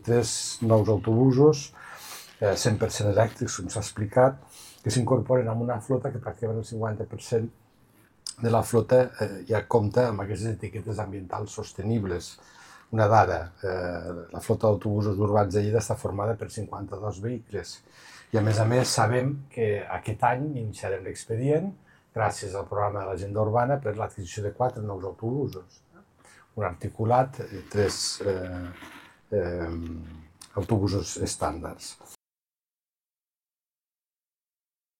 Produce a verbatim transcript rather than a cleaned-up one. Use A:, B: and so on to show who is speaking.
A: Tres nous autobusos, eh, cent per cent elèctrics, com s'ha explicat, que s'incorporen a una flota que pràcticament el cinquanta per cent de la flota eh, ja compta amb aquestes etiquetes ambientals sostenibles. Una dada, eh, la flota d'autobusos urbans de Lleida està formada per cinquanta-dos vehicles i a més a més sabem que aquest any iniciarem l'expedient gràcies al programa de l'agenda urbana per l'adquisició de quatre nous autobusos. Un articulat i tres eh, eh, autobusos estàndards.